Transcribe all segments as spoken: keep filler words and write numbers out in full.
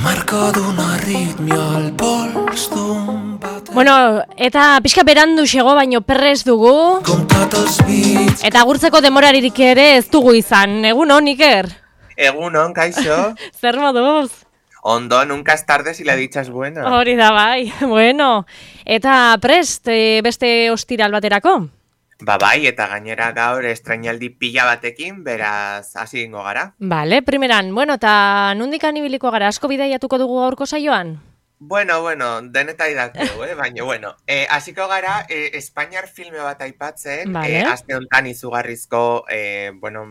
marca d'una arritmia al pols d'un bater. Bueno, eta pixka berandu xego baino perrez dugu. Comptat els bits. Eta agurtzeko demoraririk ere ez dugu izan. Egun hon, Iker? Egunon, kaixo. Zer moduz? Ondo, nunca es tarde si la dicha es buena. Hori da bai, bueno. Eta prest, e, beste ostiral baterako? Ba bai, eta gainera gaur estrainaldi pila batekin, beraz, hasi gingo gara. Vale, primeran, bueno, eta nundikan ibiliko gara, asko bidaiatuko dugu gaurko saioan? Bueno, bueno, denetai dakeu, eh? Baina, bueno, eh, hasiko gara, eh, Espainiar filme bat aipatzen, Vale. eh, aste honetan izugarrizko, eh, bueno,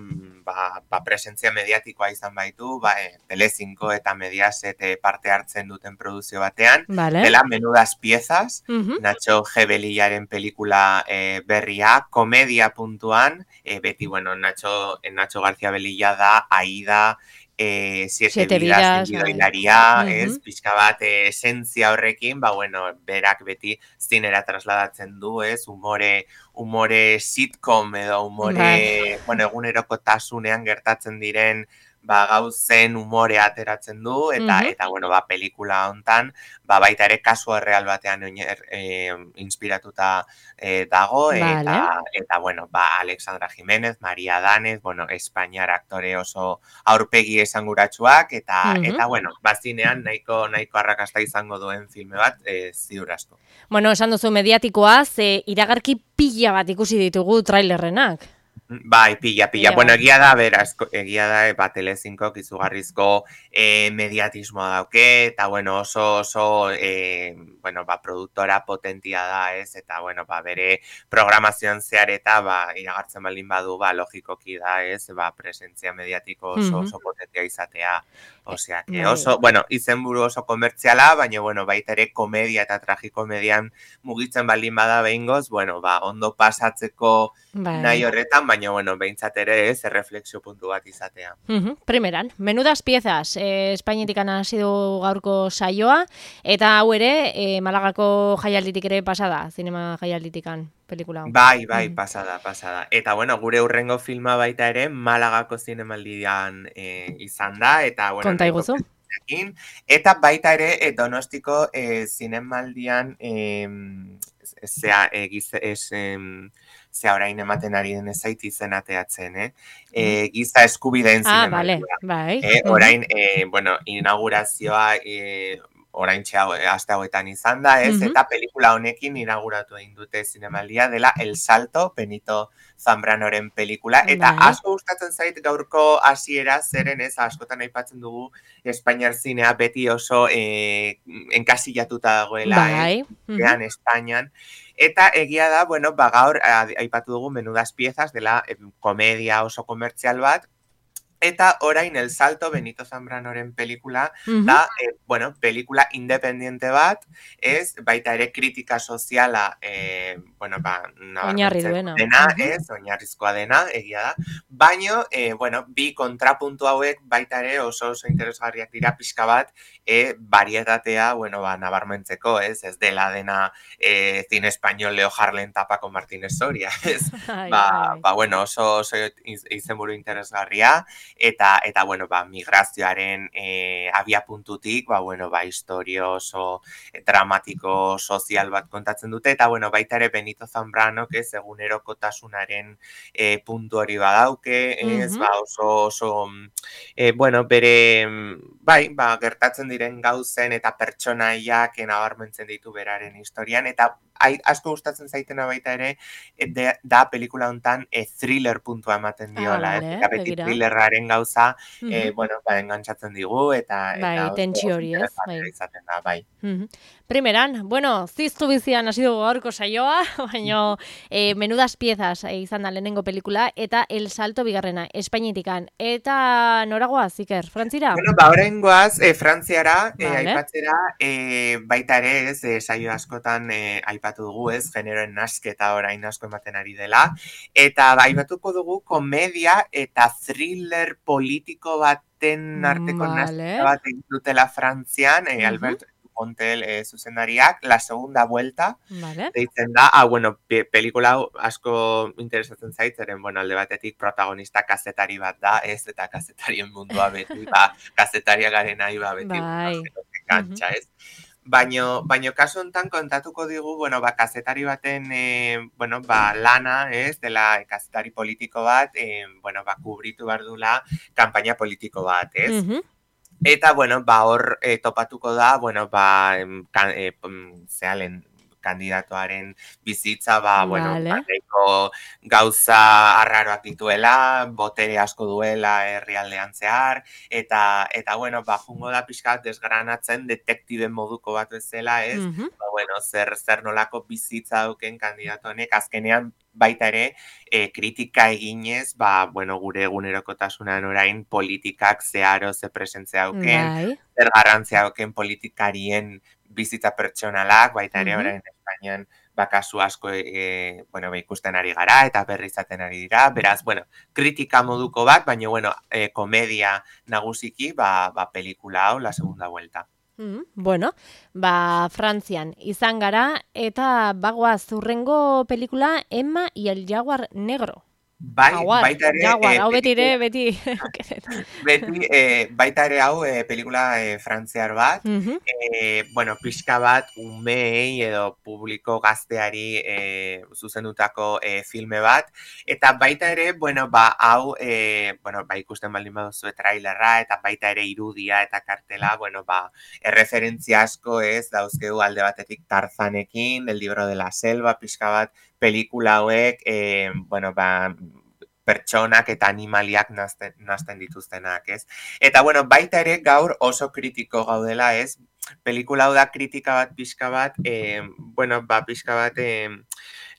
ba, ba presentzia mediatikoa izan baitu, ba, eh, Telecinco eta Mediaset eh, parte hartzen duten produzio batean, Vale. dela Menudas Piezas, Mhm. Nacho G. Belillaren pelikula eh, berria, komedia puntuan, eh, beti, bueno, Nacho, Nacho García Belilla da, Aida, Eh, siete, Siete vidas, vidas, gidoilaria, bai. ez, Mhm. pixka bat eh, esentzia horrekin, ba, bueno, berak beti zinera trasladatzen du, ez, umore, umore sitcom edo umore, Bai. bueno, egunerokotasunean gertatzen diren, ba, gauzen umore ateratzen du, eta, Mhm. eta, bueno, ba, pelikula hontan, ba, baita ere kasu erreal batean oiner, eh, inspiratuta eh, dago, eta, Vale. eta, bueno, ba, Alexandra Jiménez, Maria Danez, bueno, Espainiar aktore oso aurpegi esanguratsuak, eta, Mhm. eta, bueno, bazinean nahiko, nahiko arrakasta izango duen filme bat, eh, ziur asko. Bueno, esan duzu mediatikoa, ze iragarki pila bat ikusi ditugu trailerrenak. Bai, pila, pila. Pila Bueno, bat. egia da, beraz, egia da, e, ba, Telecinco izugarrizko eh, mediatismoa dauke, eta, bueno, oso, oso, eh, bueno, ba, produktora potentia da, ez, eta, bueno, ba, bere programazioan zehar eta, ba, iragartzen baldin badu, ba, logikoki da, ez, ba, presentzia mediatiko oso, Mhm. oso potentia izatea. Osea, que Bai. oso, bueno, izenburu oso komertziala, baina, bueno, baita ere komedia eta tragikomedian mugitzen baldin bada behingoz, bueno, ba, ondo pasatzeko Bai. nahi horretan, baina, bueno, behintzat ere ez, erreflexio puntu bat izatea. Mhm. Primeran, Menudas Piezas, eh, Espainetik hasi du gaurko saioa, eta hau ere, eh, Malagako jaialditik ere pasada, zinema jaialditikan pelikula hau. Bai, bai, Mhm. pasada, pasada. Eta, bueno, gure hurrengo filma baita ere, Malagako zinemaldian eh, izan da, eta, bueno, Konta nahiko iguzu. presentziakin. Eta baita ere, eh, Donostiko eh, zinemaldian, eh, zea, eh, giz, es, em, zea orain ematen ari den ezait izen ateatzen, eh? Eh, giza eskubideen Ah, zinemaldia. vale, bai. Eh, Mhm. orain, eh, bueno, inaugurazioa eh, orain txau, aste hauetan izan da, ez? Mhm. Eta pelikula honekin inauguratu egin dute zinemaldia dela El Salto, Benito Zambranoren pelikula. Eta Bai. asko gustatzen zait gaurko hasiera zeren, ez? Askotan aipatzen dugu Espainiar zinea beti oso eh, enkasillatuta dagoela, Bai. ez? Mhm. Ean Espainian. Eta egia da, bueno, ba gaur a- aipatu dugu Menudas Piezas dela eh, komedia oso komertzial bat, eta orain El Salto, Benito Zambranoren pelikula, Mhm. da, eh, bueno, pelikula independiente bat, ez, baita ere kritika soziala, eh, bueno, ba, Oinarri nabarmentzen duena. dena, Mhm. ez, oinarrizkoa dena, egia da, baino, eh, bueno, bi kontrapuntu hauek baita ere oso oso interesgarriak dira pixka bat, eh, varietatea, bueno, ba, nabarmentzeko, ez, ez dela dena eh, cine español Leo Harlen tapa con Martínez Soria, ez, Bai, ba, bai, bai. ba, bueno, oso, oso iz- izenburu interesgarria, eta eta bueno, ba, migrazioaren eh, abiapuntutik, ba, bueno, ba, historio oso dramatiko sozial bat kontatzen dute, eta bueno, baita ere Benito Zambrano, ez egunerokotasunaren eh, puntu hori badauke, ez, Mhm. ba, oso, oso, mm, eh, bueno, bere, mm, bai, ba, gertatzen diren gauzen eta pertsonaiak nabarmentzen ditu beraren historian, eta ai, asko gustatzen zaitena baita ere, eh, de, da pelikula hontan eh, thriller puntua ematen Ah, diola, ez? vale, Eta beti begira. thrillerraren gauza, eh, Mhm. bueno, ba, engantzatzen digu, eta, Bai, eta oso, tentsio oso hori, ez? Bai. interesgarria izaten da, bai. Mhm. Primeran, bueno, ziztu bizian hasi dugu gaurko saioa, baina eh, Menudas Piezas eh, izan da lehenengo pelikula, eta El Salto bigarrena, Espainitikan. Eta noragoaz, Iker, Frantzira? Bueno, ba, oraingoaz, eh, Frantziara, eh, Vale. aipatzera, eh, baita ere, ez, eh, saio askotan eh, aipatu dugu, ez, generoen nasketa orain asko ematen ari dela, eta ba, aipatuko dugu komedia eta thriller politiko baten arteko nasketa Vale. bat egin dutela Frantzian, eh, Mhm. Albert Fontel e, zuzendariak, La Segunda Vuelta, Vale. deitzen da, ah, bueno, pe pelikula hau asko interesatzen zaitzeren, bueno, alde batetik protagonista kazetari bat da, ez, eta kazetarien mundua beti, ba, kazetaria garen nahi, ba, beti, Bai. bueno, kantxa, ez? Baino, baino kasu hontan kontatuko digu, bueno, ba, kazetari baten, e, bueno, ba, lana, ez, dela kazetari politiko bat, e, bueno, ba, kubritu behar dula kanpaina politiko bat, ez? Mhm. Eta, bueno, ba, hor e, topatuko da, bueno, ba, em, kan, e, pum, zealen, kandidatoaren bizitza, ba, bueno, Vale. ba, nahiko gauza arraroak dituela, botere asko duela herrialdean zehar, eta, eta bueno, ba, jungo da pixka bat desgranatzen detektibe moduko bat bezala, ez? Mhm. Ba, bueno, zer, zer nolako bizitza duken kandidato honek, azkenean baita ere, e, kritika eginez, ba, bueno, gure egunerokotasunan orain politikak zeharo ze presentzia duken, Bai. zer garrantzia duken politikarien bizitza pertsonalak, baita ere Mhm. orain Espainian ba, kasu asko e, bueno, ba, ikusten ari gara eta berri izaten ari dira. Beraz, bueno, kritika moduko bat, baina bueno, e, komedia nagusiki, ba, ba, pelikula hau, La Segunda Vuelta. Mm, bueno, ba, Frantzian izan gara eta bagoaz hurrengo pelikula Emma y el Jaguar Negro. Bai, Jaguar, baita ere, Jaguar, e, hau beti ere, pelikula- beti. beti, e, baita ere hau e, pelikula e, frantziar bat, Mhm. e, bueno, pixka bat umeei edo publiko gazteari e, zuzendutako e, filme bat, eta baita ere, bueno, ba, hau, e, bueno, ba, ikusten baldin baduzue trailerra, eta baita ere irudia eta kartela, bueno, ba, erreferentzia asko ez, dauzkegu alde batetik Tarzanekin, El libro de la selva, pixka bat, pelikula hauek, e, bueno, ba, pertsonak eta animaliak nazten, nazten dituztenak, ez? Eta, bueno, baita ere gaur oso kritiko gaudela, ez? Pelikula hau da kritika bat, pixka bat, e, bueno, ba, pixka bat, e,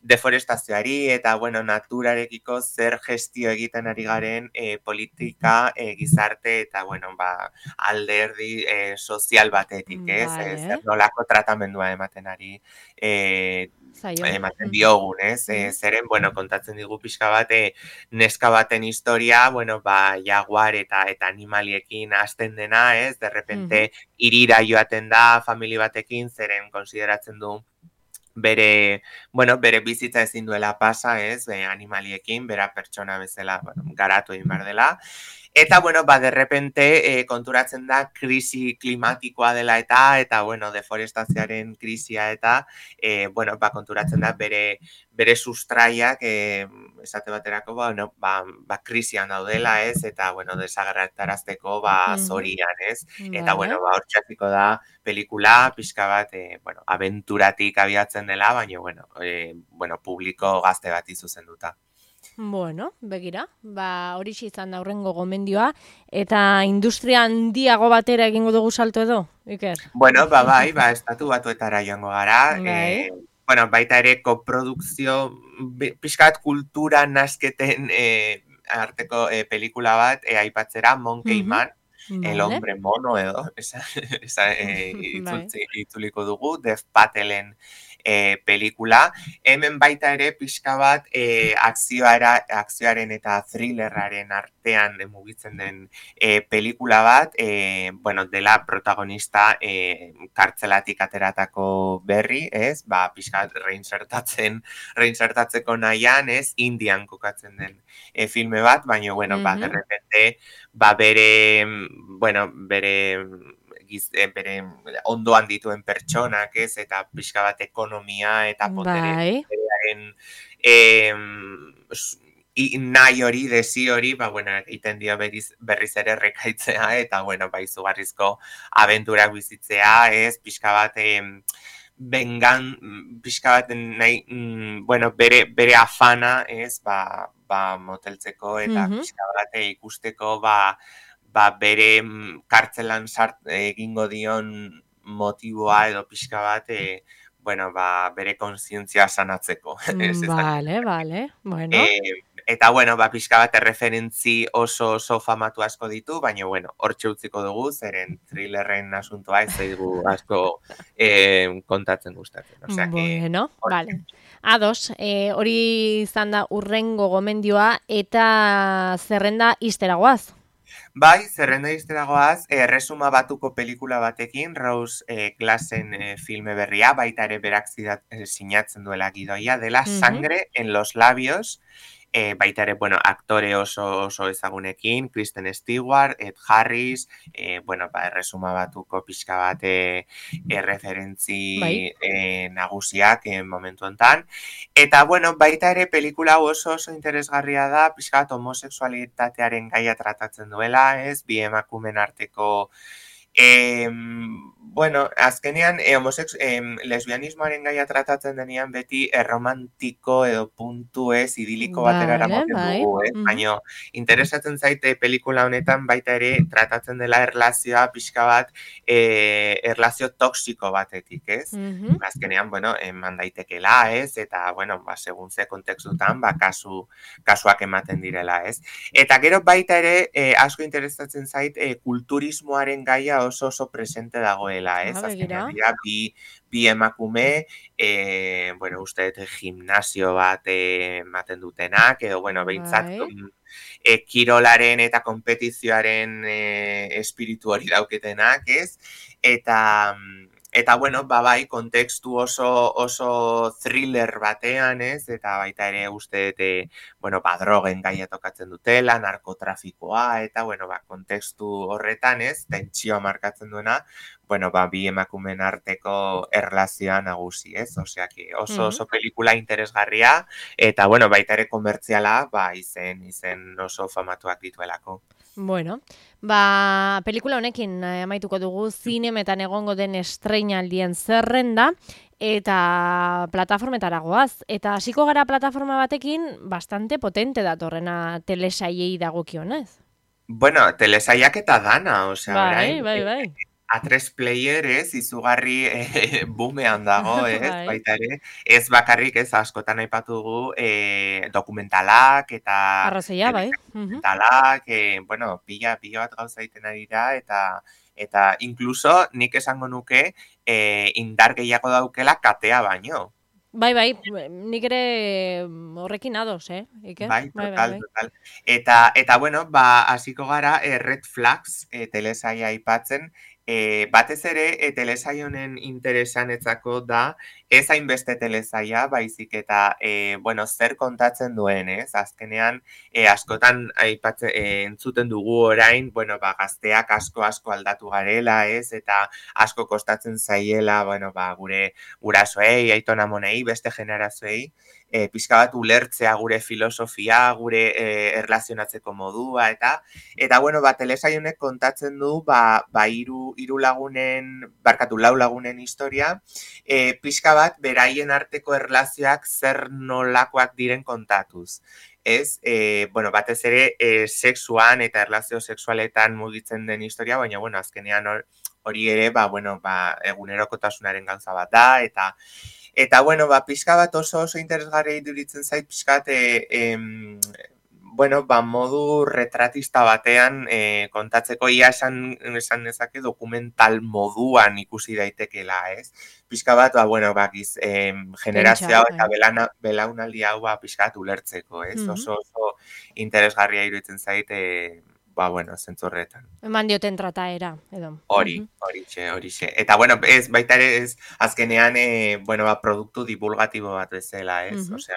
deforestazioari eta, bueno, naturarekiko zer gestio egiten ari garen e, politika, e, gizarte eta, bueno, ba, alderdi e, sozial batetik, ez? Vale. E, zer nolako tratamendua ematen ari e, Zaio. ematen diogun, ez? E, Mhm. zeren, bueno, kontatzen digu pixka bat, e, neska baten historia, bueno, ba, jaguar eta eta animaliekin hasten dena, ez? De repente, irira joaten da famili batekin, zeren konsideratzen du bere, bueno, bere bizitza ezin duela pasa, ez? Be, animaliekin, bera pertsona bezala, bueno, garatu egin behar dela. Eta, bueno, ba, de repente, e, konturatzen da krisi klimatikoa dela eta, eta, bueno, deforestazioaren krisia eta, e, bueno, ba, konturatzen da bere, bere sustraiak, e, esate baterako, bueno, ba, ba, krisian daudela, ez? Eta, bueno, desagertarazteko, ba, Mhm. zorian, ez? Eta, Vale. bueno, ba, hor txasiko da pelikula, pixka bat, e, bueno, abenturatik abiatzen dela, baina, bueno, e, bueno, publiko gazte bat izuzenduta. Bueno, begira, ba, horixe izan da hurrengo gomendioa, eta industria handiago batera egingo dugu salto edo, Iker? Bueno, ba, bai, ba, estatu batuetara joango gara, Bai. e, bueno, baita ere koprodukzio, bi- pixka bat kultura nasketen e, arteko e, pelikula bat, e, aipatzera, Monkey Mhm. Man, El Vale. hombre mono edo, esa, esa e, Bai. itzultzi, itzuliko dugu, Dev Patelen e, pelikula. Hemen baita ere pixka bat e, akzioara, akzioaren eta thrillerraren artean e, mugitzen den e, pelikula bat, e, bueno, dela protagonista e, kartzelatik ateratako berri, ez? Ba, pixka bat reinsertatzen, reinsertatzeko nahian, ez? Indian kokatzen den e, filme bat, baina, bueno, ba, Mhm. de repente, ba, bere, bueno, bere giz, e, bere ondoan dituen pertsonak, ez, eta pixka bat ekonomia eta potere, Bai. poterearen e, i, nahi hori, desi hori, ba, bueno, egiten dio berriz, berriz ere rekaitzea, eta, bueno, ba, izugarrizko abenturak bizitzea, ez, pixka bat, e, bengan, pixka bat nahi, mm, bueno, bere, bere afana, ez, ba, ba, moteltzeko, eta Mhm. pixka bat e, ikusteko, ba, ba, bere mm, kartzelan sart egingo dion motiboa edo pixka bat, e, bueno, ba, bere kontzientzia sanatzeko. Ez, ez Vale, vale, bueno. E, eta, bueno, ba, pixka bat erreferentzi oso oso famatu asko ditu, baina, bueno, hortxe utziko dugu, zeren thrillerren asuntoa ez zaigu asko e, kontatzen gustatzen. Osea, que, Bueno, hortxe. vale. Ados, eh, hori izan da urrengo gomendioa eta zerrenda izteragoaz. Bai, zerrenda izteragoaz, erresuma batuko pelikula batekin, Rose eh, Glassen eh, filme berria, baita ere berak zidat, eh, sinatzen duela gidoia, dela Mhm. Sangre en los labios, eh, baita ere, bueno, aktore oso, oso ezagunekin, Kristen Stewart, Ed Harris, eh, bueno, ba, erresuma batuko pixka bat eh, eh, Bai. referentzi eh, nagusiak eh, momentu hontan. Eta, bueno, baita ere pelikula hau oso oso interesgarria da, pixka bat homosexualitatearen gaia tratatzen duela, ez? Bi emakumen arteko Em, bueno, azkenean eh, homosex, em, lesbianismoaren gaia tratatzen denean beti erromantiko edo puntu ez idiliko batera Vale, eramaten bai. dugu, ez? Mhm. Baina interesatzen zaite pelikula honetan baita ere tratatzen dela erlazioa pixka bat eh, erlazio toksiko batetik, ez? Mhm. Azkenean, bueno, eman daitekela, ez? Eta, bueno, ba, segun ze kontekstutan, ba, kasu, kasuak ematen direla, ez? Eta gero baita ere, eh, asko interesatzen zait, eh, kulturismoaren gaia oso oso presente dagoela, ez? Ah, Azkenean begira. dira, bi, bi emakume, eh, bueno, uste dut gimnasio bat eh, ematen dutenak, edo, bueno, behintzat, Bai. mm, eh, kirolaren eta konpetizioaren eh, espiritu hori dauketenak, ez? Eta... mm, Eta, bueno, ba, bai, kontekstu oso, oso thriller batean, ez? Eta baita ere uste dut, eh, bueno, ba, drogen gaia tokatzen dutela, narkotrafikoa, eta, bueno, ba, kontekstu horretan, ez, tentsioa markatzen duena, bueno, ba, bi emakumen arteko erlazioa nagusi, ez, osea, que oso Mhm. oso pelikula interesgarria, eta, bueno, baita ere komertziala, ba, izen, izen oso famatuak dituelako. Bueno, ba, pelikula honekin eh, amaituko dugu zinemetan egongo den estreinaldien zerrenda eta plataformetara goaz. Eta hasiko gara plataforma batekin bastante potente datorrena telesaiei dagokionez. Bueno, telesaiak eta dana, osea, Bai, orain, bai, eh, bai. A tres player, ez, izugarri eh, bumean dago, ez, Bai. baita ere, ez bakarrik, ez, askotan aipatu dugu eh, dokumentalak eta Arrazoia, bai. Mhm. dokumentalak, eh, bueno, pila, pila bat gauza egiten ari da, eta eta incluso nik esango nuke eh, indar gehiago daukela katea baino. Bai, bai, nik ere horrekin ados, eh, Iker? Bai, Bai, bai, total, bai. total. Eta, eta bueno, ba, hasiko gara eh, Red Flags eh, telesaia aipatzen. Eh, batez ere, eh, telesaia honen interesanetzako da, ez hainbeste telesaia, baizik eta, eh, bueno, zer kontatzen duen, ez? Azkenean, eh, askotan aipatze, eh, entzuten dugu orain, bueno, ba, gazteak asko asko aldatu garela, ez? Eta asko kostatzen zaiela, bueno, ba, gure gurasoei, aitona monei, beste generazioei, e, pixka bat ulertzea gure filosofia, gure e, erlazionatzeko modua, eta, eta bueno, ba, telesaionek kontatzen du, ba, ba iru, iru lagunen, barkatu, lau lagunen historia, e, pixka bat, beraien arteko erlazioak zer nolakoak diren kontatuz. Ez, e, bueno, batez ere, e, sexuan eta erlazio sexualetan mugitzen den historia, baina, bueno, azkenean hor, hori ere, ba, bueno, ba, egunerokotasunaren gauza bat da, eta Eta, bueno, ba, pixka bat oso oso interesgarri iduritzen zait, pixka bat, e, em, bueno, ba, modu retratista batean e, kontatzeko ia esan, esan dezake dokumental moduan ikusi daitekela, ez? Pixka bat, ba, bueno, ba, giz, em, Pentsa, generazio hau eta bai. belana, belaunaldi hau, ba, pixka bat ulertzeko, ez? Mhm. Oso oso interesgarria iruditzen zait, e, ba, bueno, zentzorretan. Eman dioten trataera, edo. Hori, Mhm. horixe, horixe. Eta, bueno, ez, baita ere, ez, azkenean, e, bueno, ba, produktu divulgatibo bat bezala, ez? Mhm. Osea,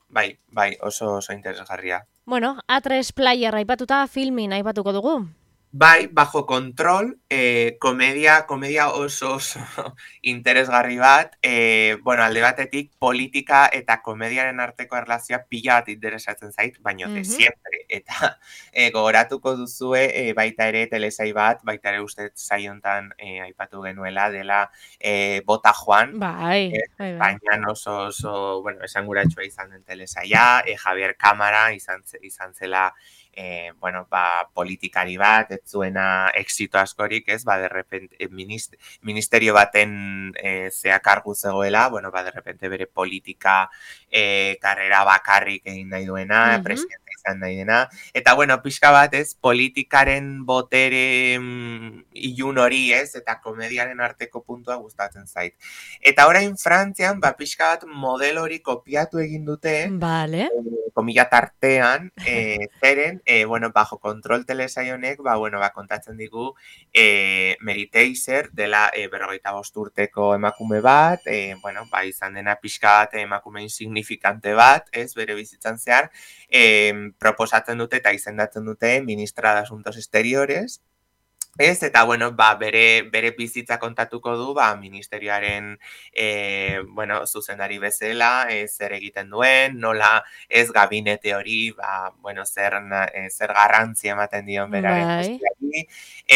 bai, bai, oso oso interesgarria. Bueno, A tres Player aipatuta filmin aipatuko dugu. Bai, bajo kontrol, eh, komedia, komedia oso oso interesgarri bat, eh, bueno, alde batetik politika eta komediaren arteko erlazioa pila bat interesatzen zait, baino de Mhm. siempre. Eta eh, gogoratuko duzue eh, baita ere telesai bat, baita ere uste saiontan eh, aipatu genuela dela eh, Bota Juan, Bai, eh, bai, bai. Espainian oso oso, bueno, esanguratsua izan den telesaia, eh, Javier Cámara izan, ze- izan zela eh, bueno, ba, politikari bat, ez zuena exito askorik, ez, ba, derrepente, eh, minist, ministerio baten eh, zea kargu zegoela, bueno, ba, derrepente bere politika eh, karrera bakarrik egin nahi duena, Mhm. presidente izan nahi dena. Eta, bueno, pixka bat, ez, politikaren botere mm, ilun hori, ez, eta komediaren arteko puntua gustatzen zait. Eta orain Frantzian, ba, pixka bat modelo hori kopiatu egin dute, Vale. eh, komila tartean, eh, zeren, eh, bueno, bajo kontrol telesaionek, ba, bueno, ba, kontatzen digu, eh, Mary Teiser dela eh, berrogeita bost urteko emakume bat, eh, bueno, ba, izan dena pixka bat emakume insignifikante bat, ez, bere bizitzan zehar, eh, proposatzen dute eta izendatzen dute ministra de Asuntos Exteriores, ez, eta, bueno, ba, bere, bere bizitza kontatuko du, ba, ministerioaren, e, bueno, zuzendari bezala, e, zer egiten duen, nola ez gabinete hori, ba, bueno, zer, e, zer garrantzi ematen dion beraren Bai. postiari,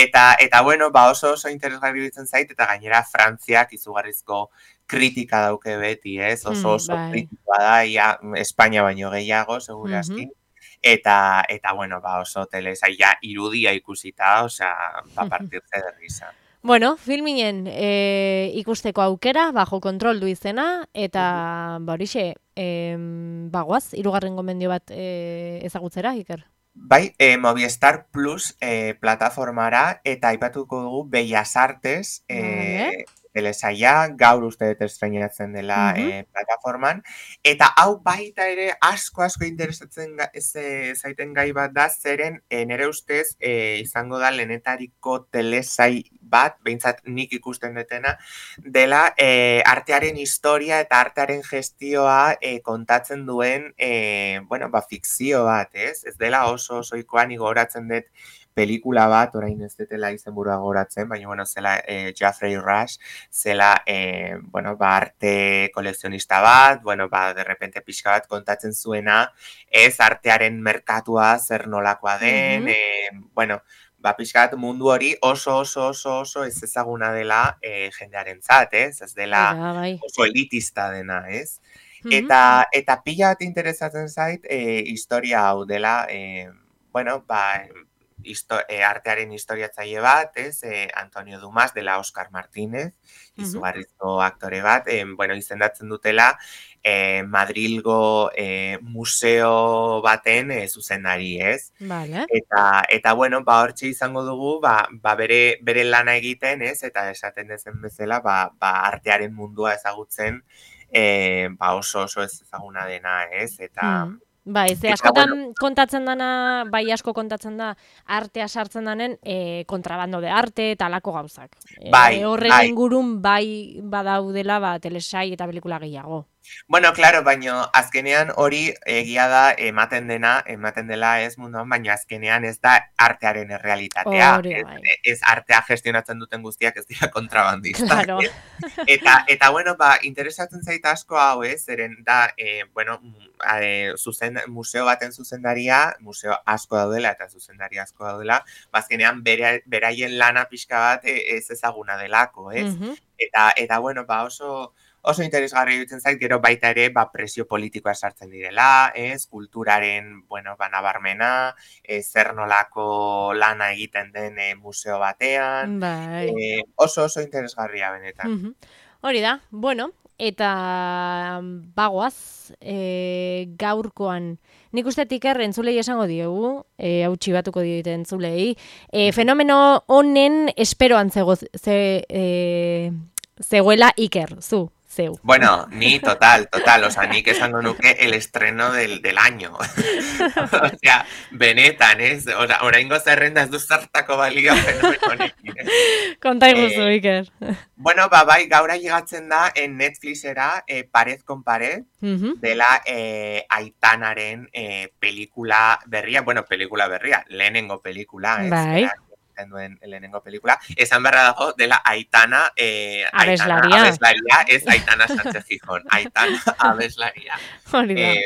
eta, eta, bueno, ba, oso oso interesgarri bitzen zait, eta gainera Frantziak izugarrizko kritika dauke beti, ez, oso oso bai. kritikoa da, ia, Espainia baino gehiago, segurazki, Eta, eta, bueno, ba, oso telesaia irudia ikusita, osea, ba, partirse de risa. Bueno, filminen e, ikusteko aukera, bajo kontrol du izena, eta, ba, horixe, e, bagoaz, hirugarren gomendio bat e, ezagutzera, Iker? Bai, e, Movistar Plus e, plataformara, eta aipatuko dugu Bellas Artes, e, Vale. telesaia, gaur uste dut estreinatzen dela Mhm. e, plataforman, eta hau baita ere asko asko interesatzen ga, ez, e, zaiten gai bat da, zeren e, nire ustez e, izango da lehenetariko telesai bat, behintzat nik ikusten detena, dela e, artearen historia eta artearen gestioa e, kontatzen duen, e, bueno, ba, fikzio bat, ez? Ez dela oso osoikoa, ni gogoratzen dut pelikula bat, orain ez detela izenburua gogoratzen, baina, bueno, zela eh, Jeffrey Rush, zela, eh, bueno, ba, arte kolekzionista bat, bueno, ba, de repente pixka bat kontatzen zuena, ez artearen merkatua zer nolakoa den, Mhm. eh, bueno, ba, pixka bat mundu hori oso, oso, oso, oso ez ezaguna dela eh, jendearen zat, ez? Ez dela Aira, bai. oso elitista dena, ez? Mhm. Eta, eta pila bat interesatzen zait, eh, historia hau dela, eh, bueno, ba, histo, eh, artearen historiatzaile bat, ez, eh, Antonio Dumas dela Oscar Martínez, izugarrizko aktore bat, eh, bueno, izendatzen dutela eh, Madrilgo eh, museo baten eh, zuzendari, ez? Vale. Eta, eta bueno, ba, hortxe izango dugu, ba, ba bere, bere lana egiten, ez, eta esaten dezen bezala, ba, ba artearen mundua ezagutzen, eh, ba oso oso ez ezaguna dena, ez, eta... Hmm. Bai, ze Eta, askotan bueno, kontatzen dana, bai asko kontatzen da, artea sartzen danen, e, kontrabando de arte eta alako gauzak. Bai, E, horren bai. ingurun bai badaudela, ba, telesai eta pelikula gehiago. Bueno, claro, baino azkenean hori egia da ematen dena, ematen dela ez munduan, baina azkenean ez da artearen errealitatea. Hori, Ez, bai. ez artea gestionatzen duten guztiak ez dira kontrabandistak. Claro. ez? Eta, eta bueno, ba, interesatzen zaita asko hau, ez, zeren da, eh, bueno, eh, zuzen, museo baten zuzendaria, museo asko daudela eta zuzendari asko daudela, bazkenean bere, beraien lana pixka bat eh, ez ezaguna delako, ez? Mhm. Eta, eta bueno, ba, oso... Oso interesgarri dutzen zait, gero baita ere, ba, presio politikoa sartzen direla, ez, kulturaren, bueno, ba, nabarmena, e, zer nolako lana egiten den e, museo batean, Bai. e, oso oso interesgarria benetan. Mhm. Hori da, bueno, eta bagoaz, e, gaurkoan, nik uste Iker entzulei esango diegu, e, hau txibatuko diote entzulei, e, fenomeno honen esperoan zego, ze, e, zegoela Iker, zu, zeu. Bueno, ni total, total, o sea, nik esango nuke el estreno del, del año. O sea, benetan, ez? O sea, oraingo zerrenda ez du zartako balio fenomeno honekin, ez? Konta iguzu, Eh, Iker. Bueno, ba, bai, gaura llegatzen da en Netflixera eh, Pared con Pared, Mhm. dela eh, Aitanaren eh, pelikula berria, bueno, pelikula berria, lehenengo pelikula, ez? Bai. Berak egiten duen lehenengo pelikula. Esan beharra dago, dela Aitana, eh, Aitana Abeslaria. abeslaria, ez Aitana Sánchez Gijón, Aitana abeslaria. Hori da. Eh,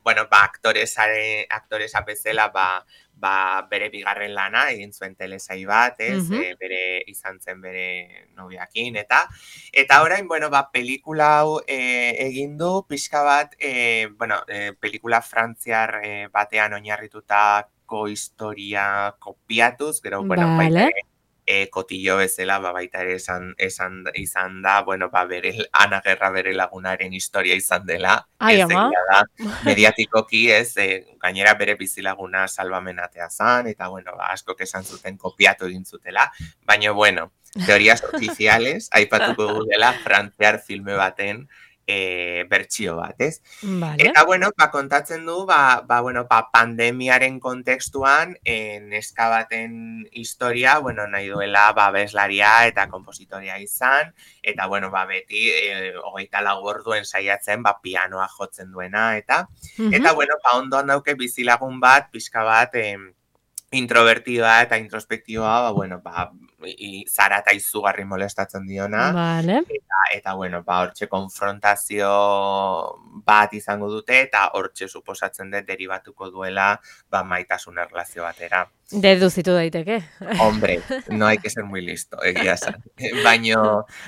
bueno, ba, aktoresare, aktoresa bezala, ba, ba, bere bigarren lana egin zuen telesai bat, ez, Mhm. e, bere izan zen bere nobiakin, eta eta orain, bueno, ba, pelikula hau e, egin du, pixka bat, e, bueno, e, pelikula frantziar e, batean oinarritutako historia kopiatuz, gero, bueno, Vale. baita ere, e, kotillo bezala, ba, baita ere esan, esan izan da, bueno, ba, bere, Ana Gerra bere lagunaren historia izan dela, Ai, ez ama. egia da, mediatikoki, ez, e, gainera bere bizilaguna salbamenatea zan, eta, bueno, ba, askok esan zuten kopiatu egin zutela, baina, bueno, teorias oficiales, aipatuko dugu dela, frantziar filme baten, E, bertsio bat, ez? Vale. Eta, bueno, ba, kontatzen du, ba, ba, bueno, ba, pandemiaren kontekstuan, e, neska baten historia, bueno, nahi duela, ba, abeslaria eta kompositoria izan, eta, bueno, ba, beti, e, hogeita lau orduen saiatzen, ba, pianoa jotzen duena, eta, Mhm. eta, bueno, ba, ondoan dauke bizilagun bat, pixka bat, e, introvertidoa eta introspektiboa, ba, bueno, ba, i, zara eta izugarri molestatzen diona, Vale. eta, eta bueno, ba, hortxe konfrontazio bat izango dute, eta hortxe suposatzen dut deribatuko duela, ba, maitasun erlazio batera. Deduzitu daiteke. Hombre, no hay que ser muy listo, egia esan. Baina,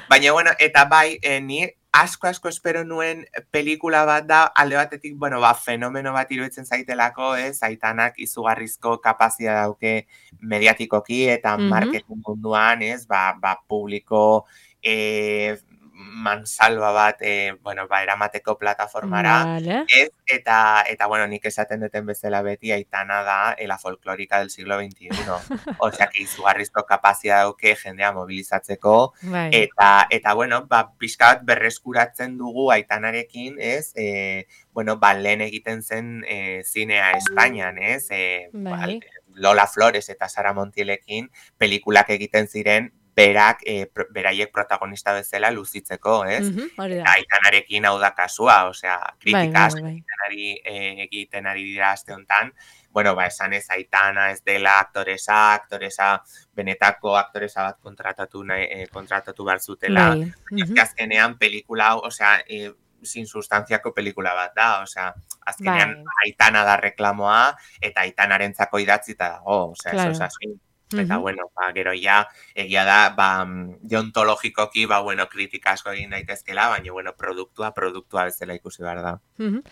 baina, bueno, eta bai, eh, ni asko asko espero nuen pelikula bat da, alde batetik, bueno, ba, fenomeno bat iruditzen zaitelako, ez, Aitanak izugarrizko kapazia dauke mediatikoki eta Mhm. marketing munduan, ez, ba, ba, publiko eh, mansalba bat, eh, bueno, ba, eramateko plataformara, Vale. ez, eta, eta, bueno, nik esaten duten bezala beti, Aitana da eh, la folclórica del siglo veintiuno. Osea, que izugarrizko kapazia dauke jendea mobilizatzeko, Bai. eta, eta bueno, ba, pixka bat berreskuratzen dugu Aitanarekin, ez, e, bueno, ba, lehen egiten zen e, zinea Espainian, ez, e, ba, Bai. Lola Flores eta Sara Montielekin pelikulak egiten ziren, berak, e, pro, beraiek protagonista bezala luzitzeko, ez? Mhm, hori da. Eta Aitanarekin hau da kasua, osea, Bai, kritika bai, asko bai. egiten ari, e, egiten ari dira aste honetan, bueno, ba, esan ez Aitana ez dela aktoresa, aktoresa, benetako aktoresa bat kontratatu, nahi, eh, kontratatu behar zutela, Bai. ez Mhm. que azkenean pelikula, hau, osea, eh, sin sustanziako pelikula bat da, osea, azkenean Bai. Aitana da reklamoa, eta Aitanarentzako idatzita dago, osea, eso es Claro. así. Eta, Mhm. bueno, ba, gero ja, egia da, ba, deontologikoki, ba, bueno, kritika asko egin daitezkela, baina, bueno, produktua, produktua bezala ikusi behar da. Mhm.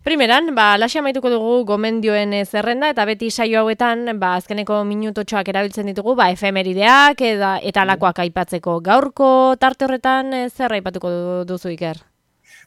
Primeran, ba, laxe amaituko dugu gomendioen eh, zerrenda, eta beti saio hauetan, ba, azkeneko minutotxoak erabiltzen ditugu, ba, efemerideak eta, eta alakoak aipatzeko. Gaurko tarte horretan eh, zer aipatuko du- duzu, Iker?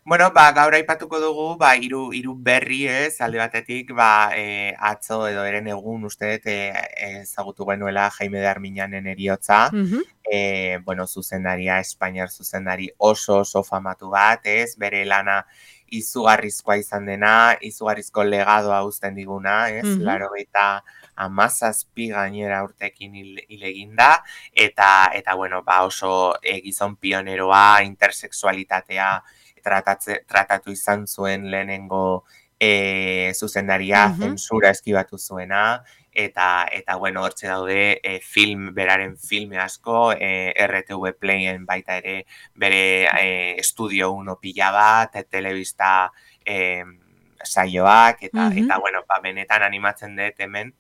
Bueno, ba, gaur aipatuko dugu, ba, hiru hiru berri, ez, alde batetik, ba, e, atzo edo eren egun uste dut e, ezagutu genuela Jaime de Arminanen eriotza, Mhm. e, bueno, zuzendaria, Espainiar zuzendari oso oso famatu bat, ez, bere lana izugarrizkoa izan dena, izugarrizko legadoa uzten diguna, ez, Mhm. laurogeita hamazazpi gainera urtekin hil, hil egin da, eta, eta, bueno, ba, oso e, gizon pioneroa, intersexualitatea, tratatze, tratatu izan zuen lehenengo e, zuzendaria, Mhm. zensura eskibatu zuena, eta, eta bueno, hortxe daude e, film, beraren filme asko, e, R T V Playen baita ere bere e, Estudio uno pila bat, e, telebista e, saioak, eta, Mhm. eta bueno, ba, benetan animatzen dut hemen,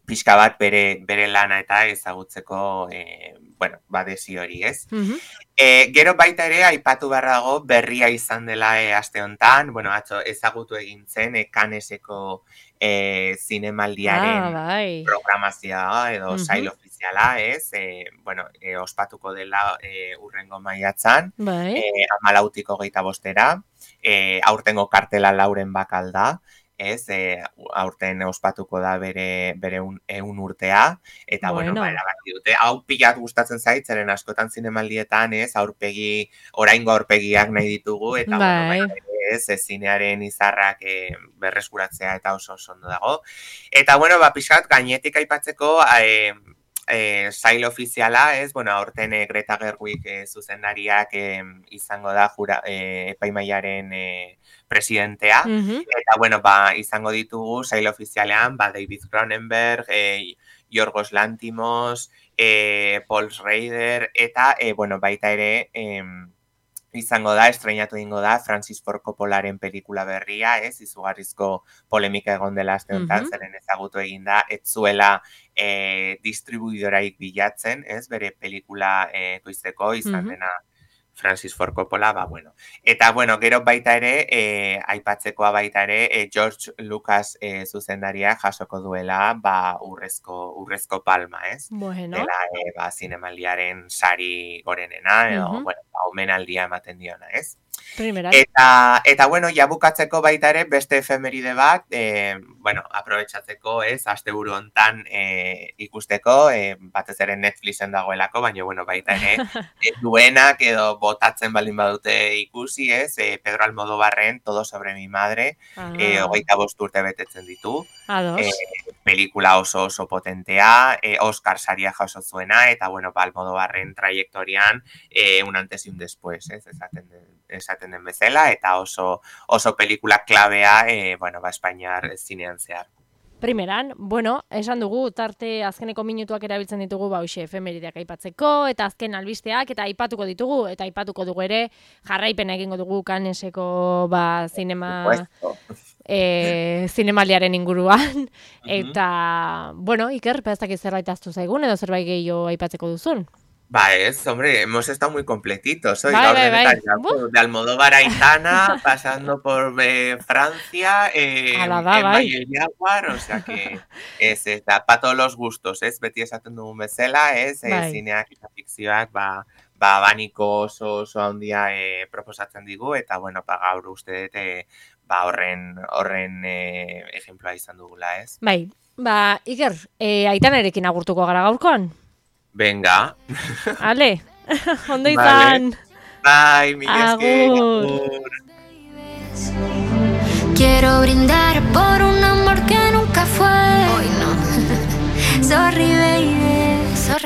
pixka bat bere, bere lana eta ezagutzeko, e, bueno, badesi hori, ez? Mhm. E, gero baita ere, aipatu behar dago, berria izan dela e, aste honetan, bueno, atzo ezagutu egin zen, e, Canneseko e, zinemaldiaren Ah, bai. programazioa edo Mhm. sail ofiziala, ez? E, bueno, e, ospatuko dela e, urrengo maiatzan, Bai. e, amalautik hogeita bostera, e, aurtengo kartela lauren bakal da, ez, e, aurten ospatuko da bere, bere un, eun urtea, eta, bueno, Bueno. ba, erabaki dute, hau pilat gustatzen zait, zeren askotan zinemaldietan, ez, aurpegi, oraingo aurpegiak nahi ditugu, eta, bueno, Bai. baita ere, ez, ez, zinearen izarrak e, berreskuratzea eta oso oso ondo dago. Eta, bueno, ba, pixkat, gainetik aipatzeko, e, e, sail ofiziala, ez, bueno, aurten e, Greta Gerwig e, zuzendariak e, izango da jura, e, epaimaiaren e, presidentea, Mhm. eta, bueno, ba, izango ditugu sail ofizialean, ba, David Cronenberg, e, Yorgos Lanthimos, e, Paul Schrader, eta, e, bueno, baita ere, e, izango da, estreinatu egingo da, Francis Ford Coppolaren pelikula berria, ez, izugarrizko polemika egon dela aste honetan, Mhm. zeren ezagutu egin da, ez zuela e, distribuidoraik bilatzen, ez, bere pelikula e, koizteko, izan Mhm. dena Francis Ford Coppola, ba, bueno. Eta, bueno, gero baita ere, e, aipatzekoa baita ere, e, George Lucas e, zuzendaria jasoko duela, ba, urrezko, urrezko palma, ez? Bueno. Dela, e, ba, zinemaldiaren sari gorenena, edo, Mhm. bueno, ba, omenaldia ematen diona, ez? Primeran. Eta, eta bueno, ja bukatzeko baita ere, beste efemeride bat, e, bueno, aprobetxatzeko, ez, asteburu hontan e, ikusteko, e, batez ere Netflixen dagoelako, baina, bueno, baita ere, e, duenak edo botatzen baldin badute ikusi, ez, e, Pedro Almodóvarren Todo sobre mi madre, Ah. e, hogeita bost urte betetzen ditu. Ados. E, pelikula oso oso potentea, e, Oscar saria jaso zuena, eta, bueno, ba, Almodóvarren trayektorian, e, un antes y un después, ez, esaten den, esaten den bezala, eta oso oso pelikula klabea, e, bueno, ba, Espainiar zinean zehar. Primeran, bueno, esan dugu, tarte azkeneko minutuak erabiltzen ditugu, ba, hoxe, efemerideak aipatzeko, eta azken albisteak, eta aipatuko ditugu, eta aipatuko dugu ere, jarraipena egingo dugu Canneseko, ba, zinema, e, zinemaldiaren inguruan, eta, bueno, Iker, ez dakit zerbait aztu zaigun, edo zerbait gehiago aipatzeko duzun? Ba, ez, hombre, hemos estado muy completitos hoy, Bai, gaur bai, bai. denetan, ya, de Almodóvar a Aitana, pasando por eh, Francia, eh, Ala da, en bai. Valle Jaguar, o sea que ez, ez da, pa todos los gustos, ez, beti esaten dugun bezala, ez, eh, Bai. zineak eta fikzioak, ba, ba, baniko oso oso handia eh, proposatzen digu, eta, bueno, pa gaur uste dut, eh, ba, horren, horren eh, ejemploa izan dugula, ez? Bai, ba, Iker, e, Aitanarekin agurtuko gara gaurkoan? Venga. Ale, ondo Vale. izan. Bai, mil esker. Agur. Agur. Quiero brindar por un amor que nunca fue. Hoy no. Sorry, baby.